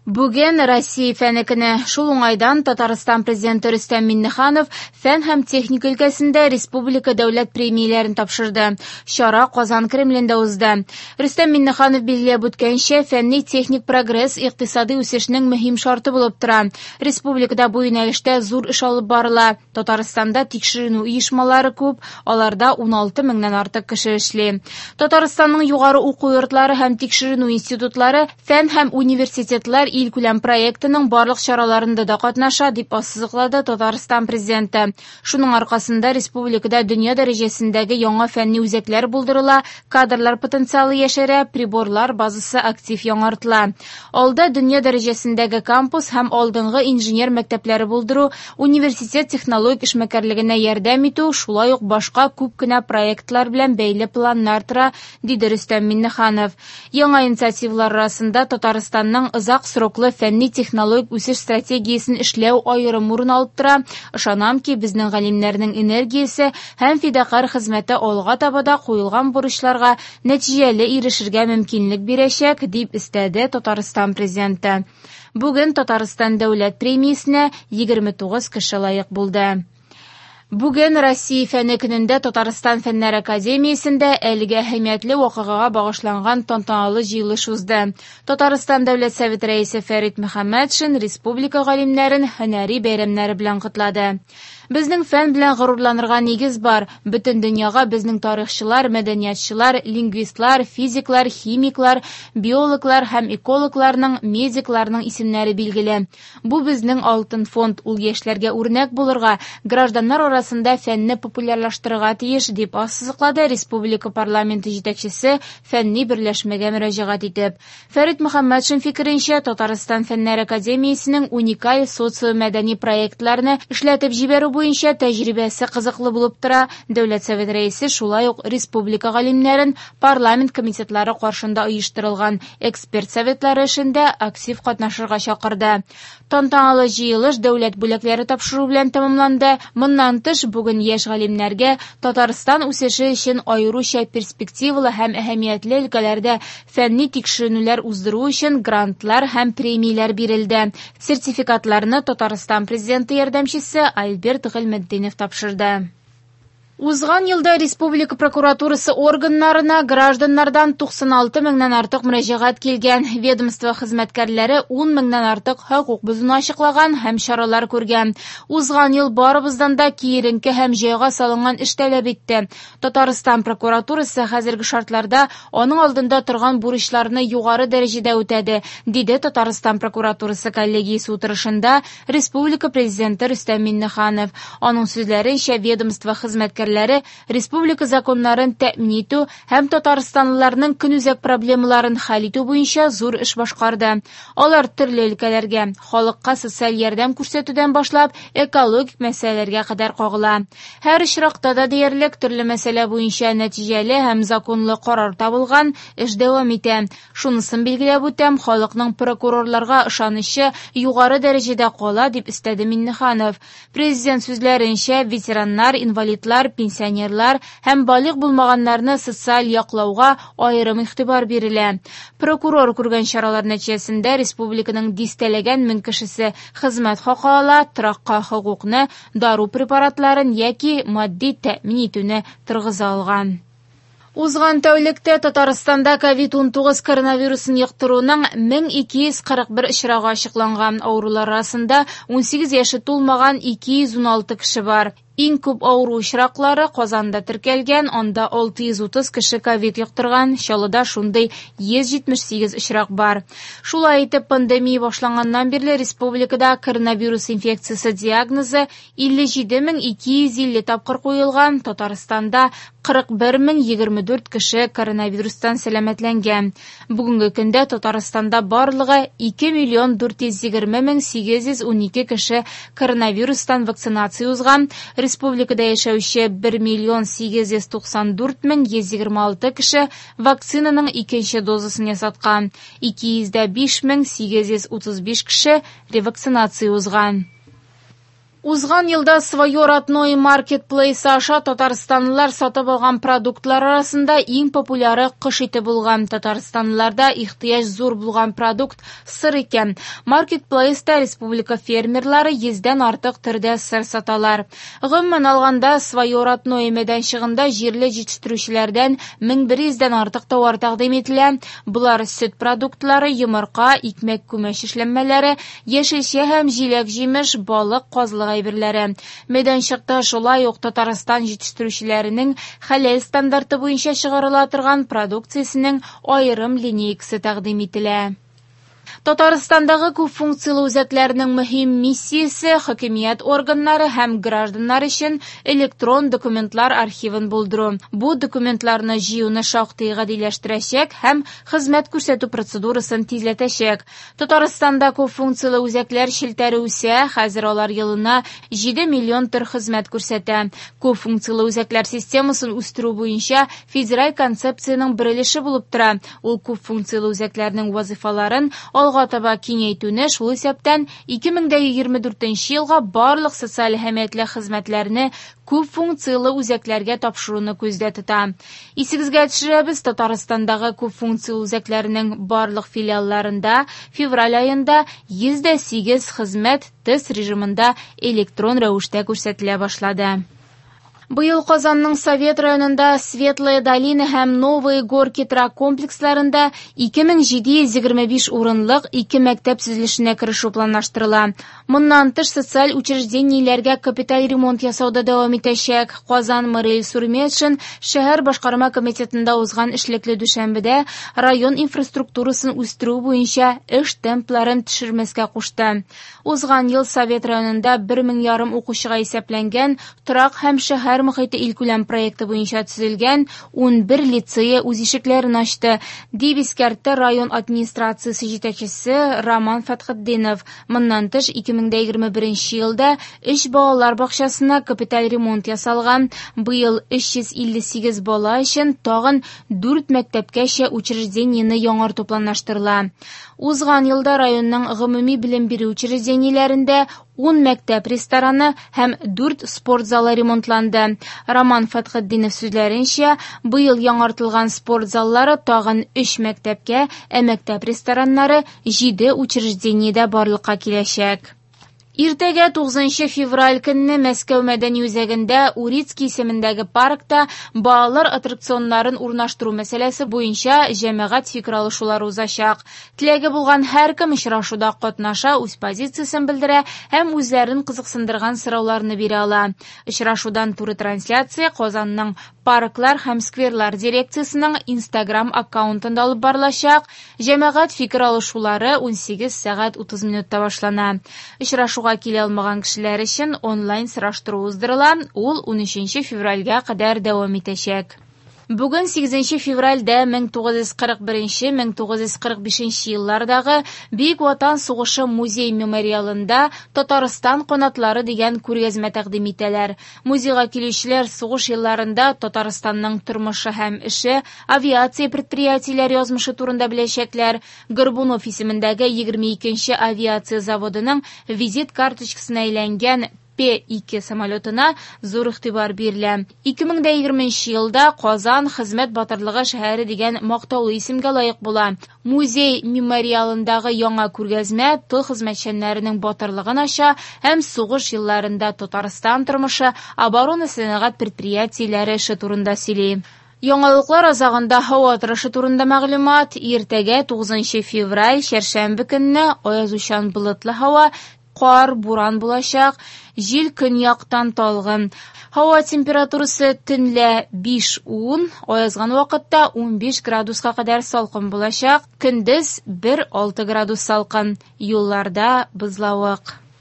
Бүген Россия фәне көне. Шул уңайдан Татарстан Президенты Рөстәм Миңнеханов фән һәм техника өлкәсендә республика дәүләт премияләрен тапшырды. Чара Казан Кремлендә узды. Рөстәм Миңнеханов билгеләп үткәнчә, фәнни-техник прогресс икътисади үсешнең мөһим шарты булып тора. Республикада бу юнәлештә зур эш алып барыла. Татарстанда тикшеренү оешмалары күп, аларда 16 меңнән артык кеше эшли. Татарстанның югары уку йортлары һәм тикшеренү институтлары Фән һәм университетлар илкүләм проектының барлык чараларында да катнаша, дип ассызыклады Татарстан Президенты. Шуның аркасында республикада дөнья дәрәҗәсендәге яңа фәнни үзәкләр булдырыла, кадрлар потенциалы яшәрә, приборлар базасы актив яңартыла. Алда дөнья дәрәҗәсендәге кампус һәм алдынгы инженер мәктәпләре булдыру, университет технологик эшмәкәрлегенә ярдәм итү, шулай ук башка күп кенә проектлар белән бәйле планнар тора, диде Рөстәм Миңнеханов. Яңа инициативалар арасында Татарстанның озак сроклы фәнни-технологик үсеш стратегиясен эшләү аерым урын алып тора. Ышанам ки, безнең галимнәрнең энергиясе һәм фидакарь хезмәте алга таба да куелган бурычларга нәтиҗәле ирешергә мөмкинлек бирәчәк, дип өстәде Татарстан Президенты. Бүген Татарстан дәүләт премиясенә 29 кеше лаек булды. Бүген Россия фәне көнендә Татарстан Фәннәр академиясендә әлеге әһәмиятле вакыйгага багышланган тантаналы җыелыш узды. Татарстан Дәүләт Советы Рәисе Фәрит Мөхәммәтшин республика галимнәрен һөнәри бәйрәмнәре белән котлады. Безнең фән белән горурланырга нигез бар. Бөтен дөньяга безнең тарихчылар, мәдәниятчылар, лингвистлар, физиклар, химиклар, биологлар һәм экологларның, медикларның исемнәре билгеле. Бу безнең алтын фонд, ул яшьләргә үрнәк булырга, гражданнар арасында фәнне популярлаштырырга тиеш, дип ассызыклады республика парламенты җитәкчесе фәнни берләшмәгә мөрәҗәгать итеп. Фәрит Мөхәммәтшин фикеренчә, Татарстан Фәннәр академиясенең уникаль социомәдәни проектларны эшләтеп җибәрү буенча тәҗрибәсе кызыклы булып тора. Дәүләт Советы Рәисе шулай ук республика галимнәрен парламент комитетлары каршында оештырылган эксперт советлары эшендә актив катнашырга чакырды. Тантаналы җыелыш дәүләт бүләкләре тапшыру белән тәмамланды. Моннан тыш, бүген яшь галимнәргә Татарстан үсеше өчен аеруча перспективалы һәм әһәмиятле өлкәләрдә фәнни тикшеренүләр уздыру өчен грантлар һәм премияләр бирелде. Сертификатларны Татарстан Президенты ярдәмчесе Альберт Гыйльметдинов тапшырды. Узган елда республика прокуратурасы органнарына гражданнардан 96 меңнән артык мөрәҗәгать килгән. Ведомство хезмәткәрләре 10 меңнән артык хокук бозуны ачыклаган һәм чаралар күргән. Узган ел барыбыздан да киеренке һәм җайга салынган эш таләп итте. Татарстан прокуратурасы хәзерге шартларда аның алдында торган бурычларны югары дәрәҗәдә үтәде, диде Татарстан прокуратурасы коллегиясе утырышында республика Президенты Рөстәм Миңнеханов. Аның сүзләренчә, ведомство хезмәткәрләре республика законнарын тәэмин итү һәм татарстанлыларның көнүзәк проблемаларын хәл итү буенча зур эш башкарды. Алар төрле өлкәләргә, халыкка социаль ярдәм күрсәтүдән башлап, экологик мәсьәләләргә кадәр кагыла. Һәр очракта да диярлек төрле мәсьәлә буенча нәтиҗәле һәм законлы карар табылган, эш дәвам итә. Шунысын билгеләп үтәм, халыкның прокурорларга ышанычы югары дәрәҗәдә кала, дип өстәде Миңнеханов. Президент сүзләренчә, ветераннар, инвалидлар, пенсионерлар һәм балигъ булмаганнарны социаль яклауга аерым игътибар бирелә. Прокурор күргән чаралар нәтиҗәсендә республиканың дистәләгән мең кешесе хезмәт хакы ала, торакка хокукны, дару препаратларын яки матди тәэмин итүне торгыза алган. Узган тәүлектә Татарстанда ковид-19 коронавирусын йоктыруның 1241 очрагы ачыкланган. Авырулар арасында 18 яше тулмаган 216 кеше бар. Иң күп авыру очраклары Казанда теркәлгән, анда 630 кеше ковид йоктырган, Чаллыда шундый 178 очрак бар. Шулай итеп, пандемия башланганнан бирле республикада коронавирус инфекциясе диагнозы 57250 тапкыр куелган, Татарстанда 41024 кеше коронавирустан сәламәтләнгән. Бүгенге көндә Татарстанда барлыгы 2 миллион 420 мең 812 кеше коронавирустан вакцинация узган. Республикада яшәүче 1 миллион 894 мең 126 кеше вакцинаның икенче дозасын ясаткан. 205 мең 835 кеше ревакцинация узган. Узган елда «Свое родное» маркетплейсы аша татарстанлылар сатып алган продуктлар арасында иң популяры кош ите булган. Татарстанлыларда ихтыяҗ зур булган продукт сыр икән. Маркетплейста республика фермерлары 100дән артык төрдә сыр саталар. Гомумән алганда, «Свое родное» мәйданчыгында җирле җитештерүчеләрдән 1100дән артык товар тәкъдим ителә. Болар сөт продуктлары, йомырка, икмәк-күмәч эшләнмәләре, яшелчә һәм җиләк-җимеш, балык, казылык әйберләре. Мәйданчыкта шулай ук Татарстан җитештерүчеләренең хәләл стандарты буенча чыгарыла торган продукциясенең аерым линейкасы тәкъдим ителә. Татарстандагы күпфункцияле үзәкләрнең мөһим миссиясе хакимият органнары һәм гражданнар өчен электрон документлар архивын булдыру. Бу документларны җыюны шактый гадиләштерәчәк һәм хезмәт күрсәтү процедурасын тизләтәчәк. Татарстанда күпфункцияле үзәкләр челтәре үсә, хәзер алар елына 7 миллион төр хезмәт күрсәтә. Күпфункцияле үзәкләр системасын үстерү буенча федераль концепциянең бер өлеше булып тора. Ул күпфункцияле үзәкләрнең вазифаларын алга таба киңәйтүне, шул исәптән 2024 елга барлык социаль әһәмиятле хезмәтләрне күп функцияле үзәкләргә тапшыруны күздә тота. Исегезгә төшерәбез, Татарстандагы күп функцияле үзәкләрнең барлык филиалларында февраль аенда 108 хезмәт тест режимында электрон рәвештә күрсәтелә башлады. Быел Казанның Совет районында Светлая долина һәм Новые горки торак комплексларында 2725 урынлык ике мәктәп төзелешенә керешү планлаштырыла. Моннан тыш социаль учреждениеләргә капиталь ремонт ясау да дәвам итәчәк. Казан мэры Илсур Метшин шәһәр башкарма комитетында узган эшлекле дүшәмбедә район инфраструктурасын үстерү буенча эш темпларын төшермәскә кушты. Узган ел Совет районында 1500 укучыга исәпләнгән торак һәм шәһәр мохите илкүләм проекты буенча төзелгән 11 лицее үз ишекләрен ачты, дип искәртте район администрациясе җитәкчесе Роман Фәтхетдинов. Моннан тыш 2021 елда 3 балалар бакчасына капиталь ремонт ясалган. Быел 358 бала өчен тагын 4 мәктәпкәчә учреждениене яңарту планлаштырыла. Узган елда районның гомуми белем бирү учреждениеләрендә 10 мәктәп рестораны һәм 4 спорт залы ремонтланды. Роман Фәтхетдинов сүзләренчә, быел яңартылган спорт заллары тагын 3 мәктәпкә, ә мәктәп рестораннары 7 учреждениедә барлыкка киләчәк. Иртәгә 9 февраль көнне Мәскәү мәдәни үзәгендә Урицкий исемендәге паркта балалар аттракционнарын урнаштыру мәсьәләсе буенча җәмәгать фикер алышулары узачак. Теләге булган һәркем очрашуда катнаша, үз позициясен белдерә һәм үзләрен кызыксындырган сорауларны бирә ала. Очрашудан туры трансляция Казанның парклар һәм скверлар дирекциясенең Instagram аккаунтында алып барылачак. Җәмәгать фикер алышулары 18 сәгать 30 минутта башлана. Очрашуга килә алмаган кешеләр өчен онлайн сораштыру уздырыла. Ул 13 февральгә кадәр дәвам итәчәк. Бүген 8 февральдә 1941-1945 еллардагы Бөек Ватан сугышы музей-мемориалында Татарстан канатлары дигән күргәзмә тәкъдим итәләр. Музейга килүчеләр сугыш елларында Татарстанның тормышы һәм эше, авиация предприятиеләре язмышы турында беләчәкләр. Горбунов исемендәге 22 авиация заводының визит карточкасына әйләнгән П-2 самолетына зур игътибар бирелә. 2020 елда Казан хезмәт батырлыгы шәһәре дигән мактаулы исемгә лаек була. Музей мемориалындагы яңа күргәзмә тыл хезмәтчәннәренең батырлыгын ача һәм сугыш елларында Татарстан тормышы, оборона сәнәгать предприятиеләре эше турында сөйли. Яңалыклар азагында һава торышы турында мәгълүмат. Иртәгә 9 февраль, чәршәмбе көнне аязучан болытлы һава, кар, буран булачак, җил көньяктан талгын. Һава температурасы төнлә 5-10, аязган вакытта 15 градуска кадәр салкын булачак, көндез 1-6 градус салкын. Юлларда бозлавык.